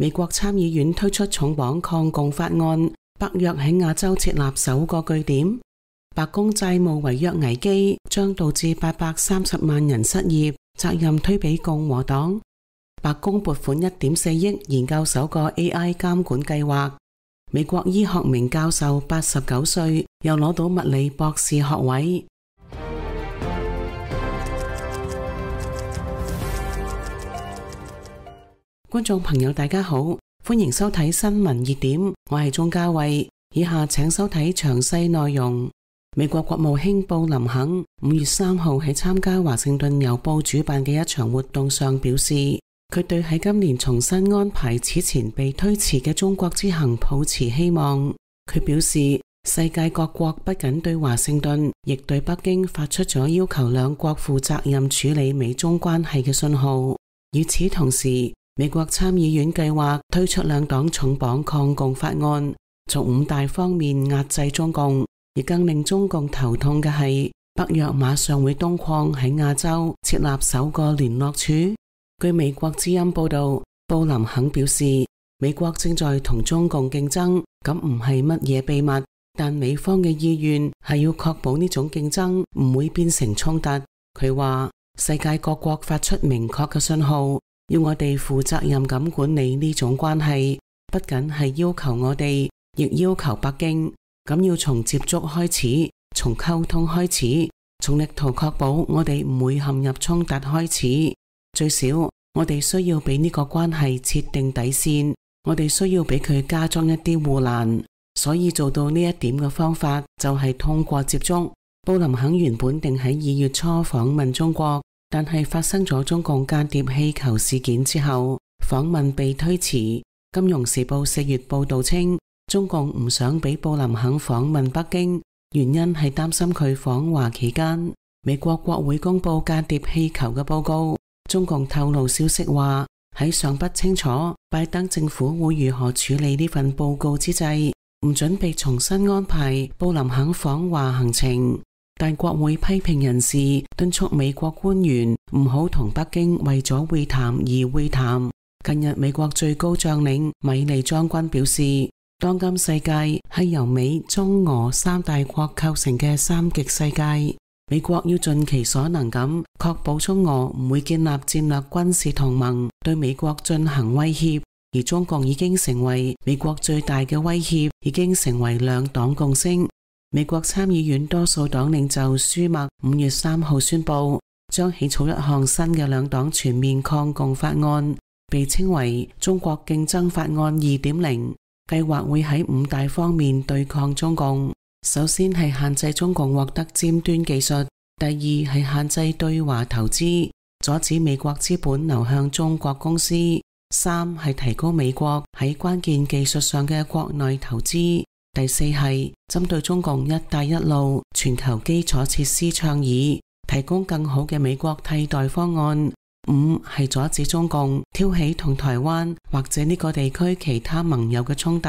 美國參議院推出重磅抗共法案，北約喺亞洲設立首個據點。白宮債務違約危機將導致830萬人失業，責任推俾共和黨。白宮撥款1.4億研究首個 AI 監管計劃。美國醫學名教授89歲，又攞到物理博士學位。觀眾朋友大家好，歡迎收睇新聞熱點，我係鍾嘉慧，以下請收睇詳細內容。美國國務卿布林肯5月3號喺參加華盛頓郵報主辦嘅一場活動上表示，佢對喺今年重新安排此前被推遲嘅中國之行抱持希望。佢表示，世界各國不僅對華盛頓，亦對北京發出咗要求兩國負責任處理美中關係嘅信號。與此同時，美國參議院計劃推出兩黨重磅抗共法案，從5大方面壓制中共。而更令中共頭痛嘅係，北約馬上會東擴喺亞洲設立首個聯絡處。據美國之音報道，布林肯表示，美國正在同中共競爭，咁唔係乜嘢秘密，但美方嘅意願係要確保呢種競爭唔會變成衝突。佢話，世界各國發出明確嘅信號，要我哋負責任咁管理呢種關係，不僅係要求我哋，亦要求北京。咁要從接觸開始，從溝通開始，從力圖確保我哋唔會陷入衝突開始。最少，我哋需要俾呢個關係設定底線，我哋需要俾佢加裝一啲護欄。所以做到呢一點嘅方法就係通過接觸。布林肯原本定喺2月初訪問中國，但係發生咗中共間諜氣球事件之後，訪問被推遲。金融時報4月報道稱，中共唔想俾布林肯訪問北京，原因係擔心佢訪華期間，美國國會公布間諜氣球嘅報告。中共透露消息話，喺尚不清楚拜登政府會如何處理呢份報告之際，唔準備重新安排布林肯訪華行程。但國會批評人士敦促美國官員唔好同北京為咗會談而會談。近日美國最高將領米利將軍表示，當今世界係由美、中、俄3大國構成嘅三極世界，美國要盡其所能咁確保中俄唔會建立戰略軍事同盟，對美國進行威脅。而中共已經成為美國最大嘅威脅，已經成為兩黨共識。美國參議院多數黨領袖舒默5月3號宣布，將起草一項新嘅兩黨全面抗共法案，被稱為中國競爭法案 2.0。計劃會喺5大方面對抗中共。首先係限制中共獲得尖端技術，第二係限制對華投資，阻止美國資本流向中國公司，三係提高美國喺關鍵技術上嘅國內投資，第四係針對中共一帶一路全球基礎設施倡議，提供更好嘅美國替代方案。五係阻止中共挑起同台灣或者呢個地區其他盟友嘅衝突。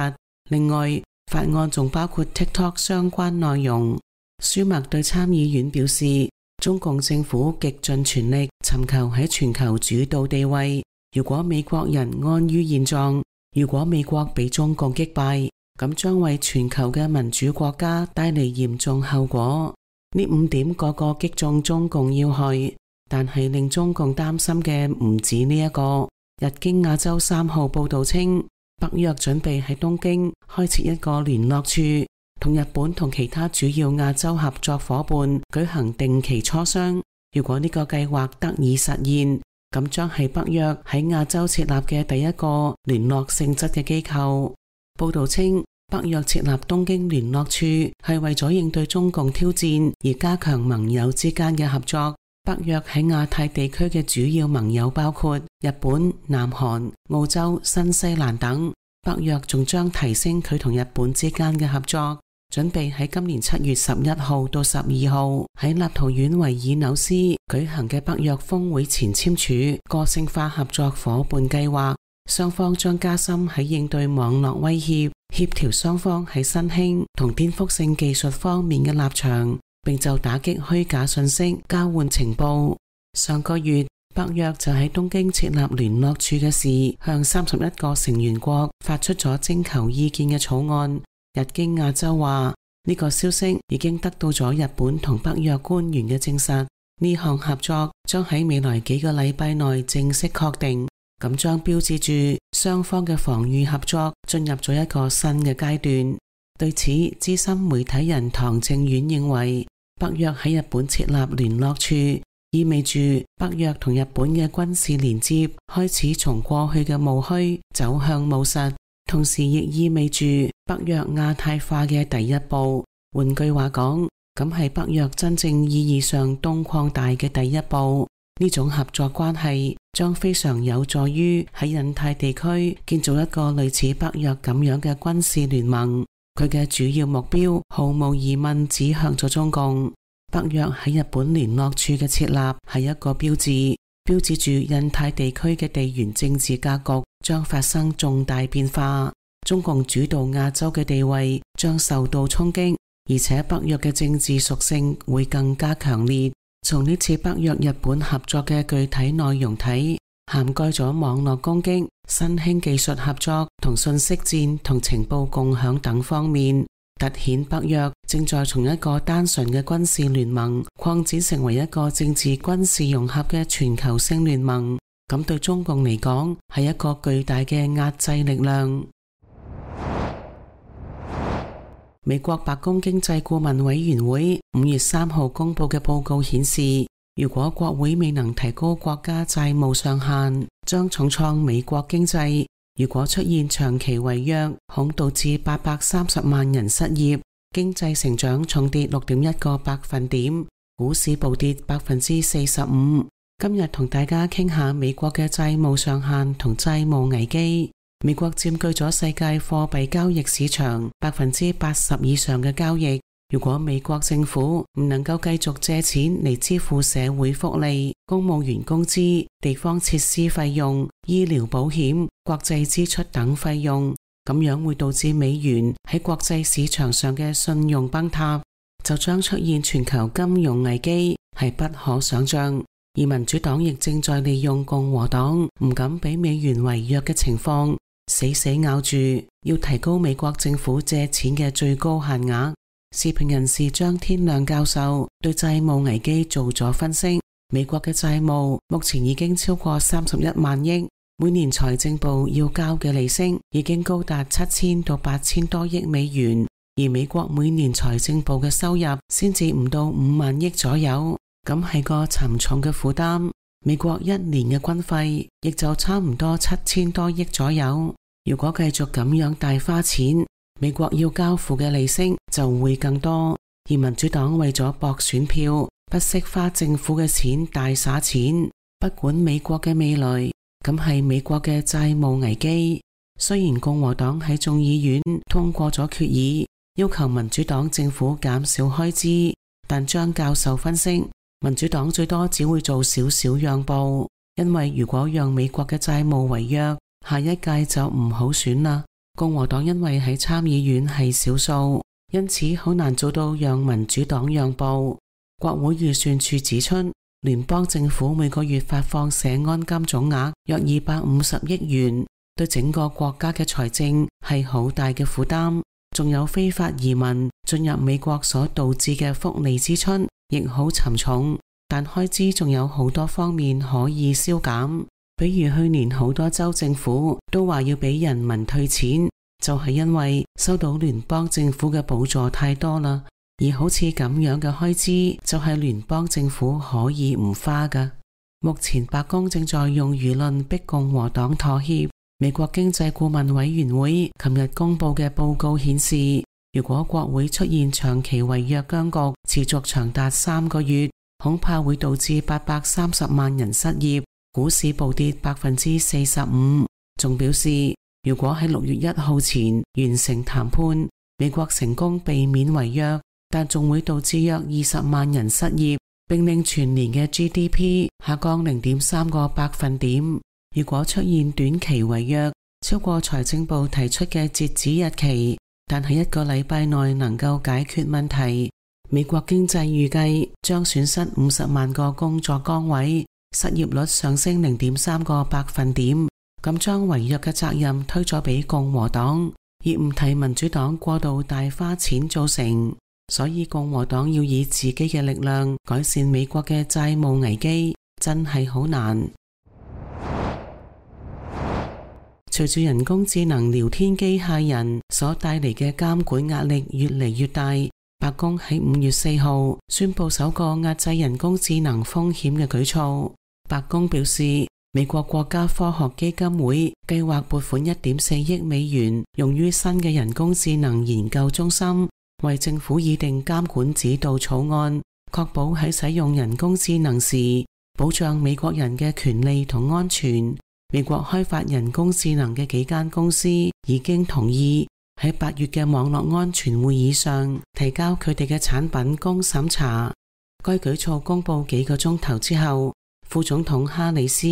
另外，法案仲包括 TikTok 相關內容。舒默對參議院表示，中共政府極盡全力尋求喺全球主導地位。如果美國人安於現狀，如果美國被中共擊敗，咁將為全球嘅民主國家帶嚟嚴重後果。呢5點個個擊中中共要害。但係令中共擔心嘅唔止呢一個。日經亞洲3號報道稱，北約準備喺東京開設一個聯絡處，同日本同其他主要亞洲合作夥伴舉行定期磋商。如果呢個計劃得以實現，咁將係北約喺亞洲設立嘅第一個聯絡性質嘅機構。報道稱，北約設立東京聯絡處係為咗應對中共挑戰而加強盟友之間嘅合作。北約喺亞太地區嘅主要盟友包括日本、南韓、澳洲、新西蘭等。北約仲將提升佢同日本之間嘅合作，準備喺今年7月11號到12號喺立陶宛維爾紐斯舉行嘅北約峰會前簽署個性化合作夥伴計劃。雙方將加深喺應對網絡威脅、協調雙方喺新興同顛覆性技術方面嘅立場，並就打擊虛假信息交換情報。上個月，北約就喺東京設立聯絡處嘅事，向31個成員國發出咗徵求意見嘅草案。日經亞洲話，呢個消息已經得到咗日本同北約官員嘅證實，呢項合作將喺未來幾個禮拜內正式確定，咁將標誌住雙方嘅防禦合作進入咗一個新嘅階段。對此，資深媒體人唐正遠認為，北約喺日本設立聯絡處，意味住北約同日本嘅軍事連接開始從過去嘅務虛走向務實，同時亦意味住北約亞太化嘅第一步。換句話講，咁係北約真正意義上東擴大嘅第一步。呢種合作關係將非常有助於喺印太地區建造一個類似北約咁樣嘅軍事聯盟。佢嘅主要目標毫無疑問指向咗中共。北約喺日本聯絡處嘅設立係一個標誌，標誌住印太地區嘅地緣政治格局將發生重大變化，中共主導亞洲嘅地位將受到衝擊，而且北約嘅政治屬性會更加強烈。從呢次北約日本合作嘅具體內容睇，涵蓋咗網絡攻擊、新興技術合作同信息戰同情報共享等方面，凸顯北約正在從一個單純嘅軍事聯盟擴展成為一個政治軍事融合嘅全球性聯盟。咁對中共嚟講係一個巨大嘅壓制力量。美國白宮經濟顧問委員會5月3號公布嘅報告顯示，如果國會未能提高國家債務上限，將重創美國經濟。如果出現長期違約，恐導致830萬人失業，經濟成長重跌6.1個百分點，股市暴跌45%。今日同大家傾下美國嘅債務上限同債務危機。美國佔據咗世界貨幣交易市場80%以上嘅交易。如果美國政府唔能夠繼續借錢嚟支付社會福利、公務員工資、地方設施費用、醫療保險、國際支出等費用，咁樣會導致美元喺國際市場上嘅信用崩塌，就將出現全球金融危機，係不可想象。而民主黨亦正在利用共和黨唔敢俾美元違約嘅情況，死死咬住要提高美國政府借錢嘅最高限額。時評人士張天亮教授對債務危機做咗分析，美國嘅債務目前已經超過31萬億，每年財政部要交嘅利息已經高達7000到8000多億美元，而美國每年財政部嘅收入先至唔到5萬億左右，咁係個沉重嘅負擔。美國一年嘅軍費亦就差唔多7000多億左右，如果繼續咁樣大花錢，美國要交付嘅利息就會更多。而民主黨為咗博選票，不惜花政府嘅錢大灑錢，不管美國嘅未來，咁係美國嘅債務危機。雖然共和黨喺眾議院通過咗決議，要求民主黨政府減少開支，但張教授分析，民主黨最多只會做少少讓步，因為如果讓美國嘅債務違約，下一屆就唔好選啦。共和黨因為喺參議院係少數，因此好難做到讓民主黨讓步。國會預算處指出，聯邦政府每個月發放社安金總額約250億元，對整個國家嘅財政係好大嘅負擔。仲有非法移民進入美國所導致嘅福利支出亦好沉重，但開支仲有好多方面可以削減。比如去年好多州政府都話要俾人民退錢，就係因為收到聯邦政府嘅補助太多啦。而好似咁樣嘅開支就係聯邦政府可以唔花㗎。目前白宮正在用輿論逼共和黨妥協。美國經濟顧問委員會琴日公布嘅報告顯示，如果國會出現長期違約僵局，持續長達3個月，恐怕會導致830萬人失業，股市暴跌45%。仲表示，如果喺6月1號前完成談判，美國成功避免違約，但仲會導致約20萬人失業，並令全年嘅 GDP 下降0.3個百分點。如果出現短期違約，超過財政部提出嘅截止日期，但喺1個禮拜內能夠解決問題，美國經濟預計將損失50萬個工作崗位，失業率上升0.3個百分點，咁將違約嘅責任推咗俾共和黨，而唔提民主黨過度大花錢造成。所以共和黨要以自己嘅力量改善美國嘅債務危機，真係好難。隨住人工智能聊天機械人所帶嚟嘅監管壓力越嚟越大，白宮喺5月4號宣布首個壓制人工智能風險嘅舉措。白宮表示，美國國家科學基金會計劃撥款1.4億美元用於新嘅人工智能研究中心，為政府擬定監管指導草案，確保喺使用人工智能時保障美國人嘅權利同安全。美國開發人工智能嘅幾間公司已經同意喺8月嘅網絡安全會議上提交佢哋嘅產品供審查。該舉措公布幾個鐘頭之後，副總統哈里斯、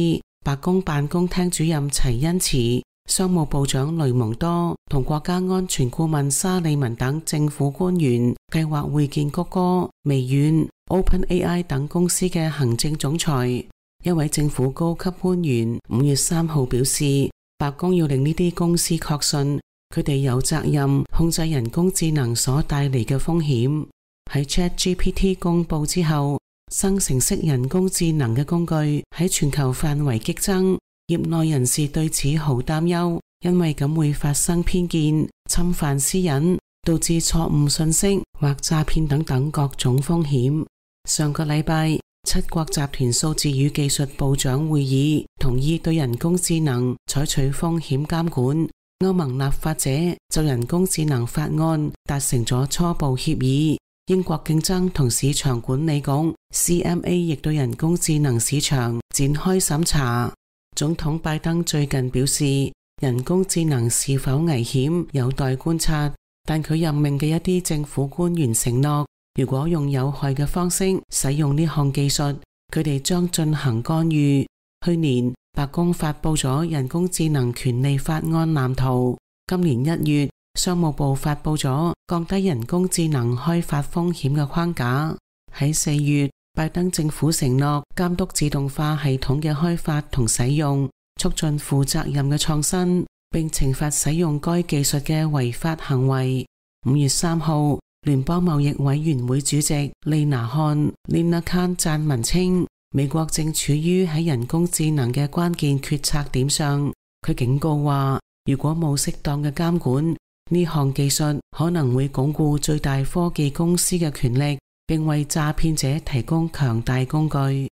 白宮辦公廳主任齊恩茨、商務部長雷蒙多同國家安全顧問沙利文等政府官員計劃會見谷歌、微軟、OpenAI 等公司嘅行政總裁。一位政府高級官員5月3號表示，白宮要令呢啲公司確信佢哋有責任控制人工智能所帶嚟嘅風險。喺 ChatGPT 公布之後，生成式人工智能嘅工具喺全球範圍激增，業內人士對此好擔憂，因為咁會發生偏見、侵犯私隱、導致錯誤信息或詐騙等等各種風險。上個禮拜，7國集團數字與技術部長會議同意對人工智能採取風險監管。歐盟立法者就人工智能法案達成咗初步協議。英國競爭同市場管理局 CMA 亦對人工智能市場展開審查。總統拜登最近表示，人工智能是否危險有待觀察，但佢任命嘅一啲政府官員承諾，如果用有害嘅方式使用呢項技術，佢哋將進行干預。去年白宮發佈咗人工智能權利法案藍圖，今年1月商務部發佈咗降低人工智能開發風險嘅框架。喺4月，拜登政府承諾監督自動化系統嘅開發同使用，促進負責任嘅創新，並懲罰使用該技術嘅違法行為。5月3號，聯邦貿易委員會主席莉娜漢 Lina Khan 撰文稱，美國正處於喺人工智能嘅關鍵決策點上。佢警告話，如果冇適當嘅監管，呢項技術可能會鞏固最大科技公司嘅權力，並為詐騙者提供強大工具。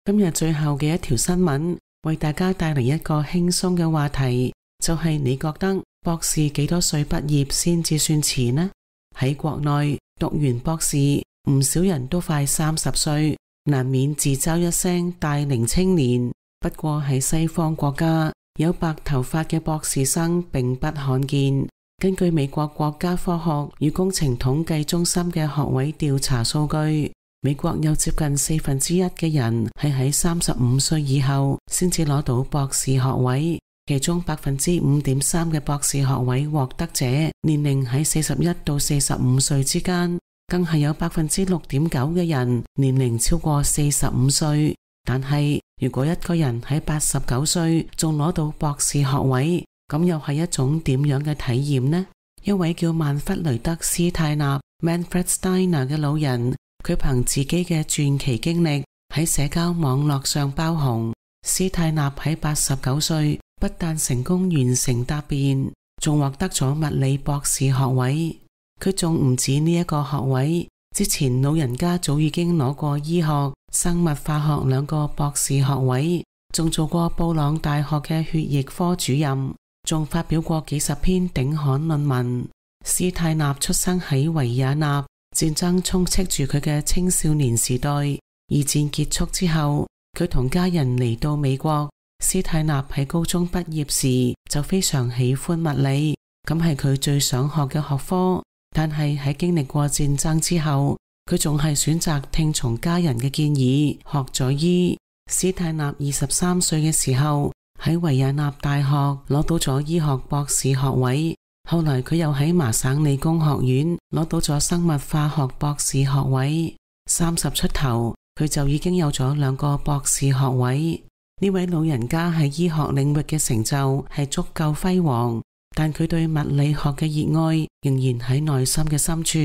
今日最後嘅一條新聞，為大家帶嚟一個輕鬆嘅話題，就係你覺得博士幾多歲畢業先至算遲呢？喺國內讀完博士，唔少人都快30歲，難免自嘲一聲大齡青年。不過喺西方國家，有白頭髮嘅博士生並不罕見。根據美國國家科學與工程統計中心嘅學位調查數據，美國有接近1/4嘅人係喺35歲以後先至攞到博士學位，其中5.3%嘅博士學位獲得者年齡喺41到45歲之間，更係有6.9%嘅人年齡超過45歲。但係如果一個人喺89歲仲攞到博士學位，咁又係一種點樣嘅體驗呢？一位叫曼弗雷德斯泰納 Manfred Steiner 嘅老人，佢憑自己嘅傳奇經歷喺社交網絡上爆紅。斯泰納喺89歲不但成功完成答辯，仲獲得咗物理博士學位。佢仲唔止呢一個學位，之前老人家早已經攞過醫學、生物化學2個博士學位，仲做過布朗大學嘅血液科主任，仲發表過幾十篇頂刊論文。斯泰納出生喺維也納，戰爭充斥住佢嘅青少年時代。二戰結束之後，佢同家人嚟到美國。斯泰納喺高中畢業時就非常喜歡物理，咁係佢最想學嘅學科。但係喺經歷過戰爭之後，佢仲係選擇聽從家人嘅建議，學咗醫。斯泰納23歲嘅時候喺維也納大學攞到咗醫學博士學位，後來佢又喺麻省理工學院攞到咗生物化學博士學位。30出頭，佢就已經有咗2個博士學位。呢位老人家喺醫學領域嘅成就係足夠輝煌，但佢對物理學嘅熱愛仍然喺內心嘅深處。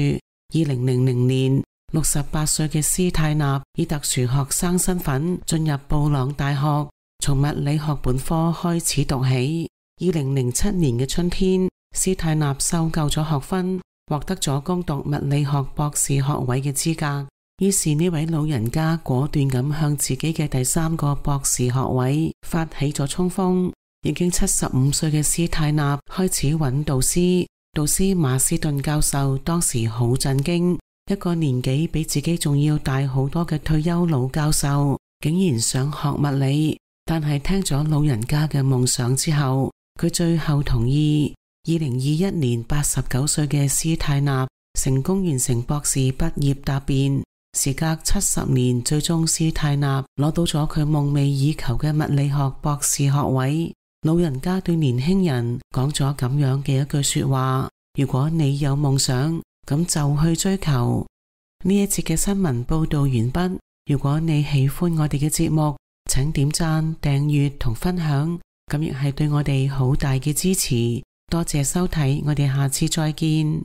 2000年，68歲嘅斯泰納以特殊學生身份進入布朗大學，從物理學本科開始讀起。2007年嘅春天，斯泰納修夠咗學分，獲得咗攻讀物理學博士學位嘅資格。於是呢位老人家果斷咁向自己嘅第3個博士學位發起咗衝鋒。已經75歲嘅斯泰納開始揾導師，導師馬斯頓教授當時好震驚，一個年紀比自己仲要大好多嘅退休老教授竟然想學物理。但係聽咗老人家嘅夢想之後，佢最後同意。2021年89歲嘅斯泰納成功完成博士畢業答辯。時隔70年，最終斯泰納攞到咗佢夢寐以求嘅物理學博士學位。老人家對年輕人講咗咁樣嘅一句說話：如果你有夢想，咁就去追求。呢一節嘅新聞報道完畢。如果你喜歡我哋嘅節目，請點讚、訂閱同分享，咁亦係對我哋好大嘅支持。多謝收睇，我哋下次再見。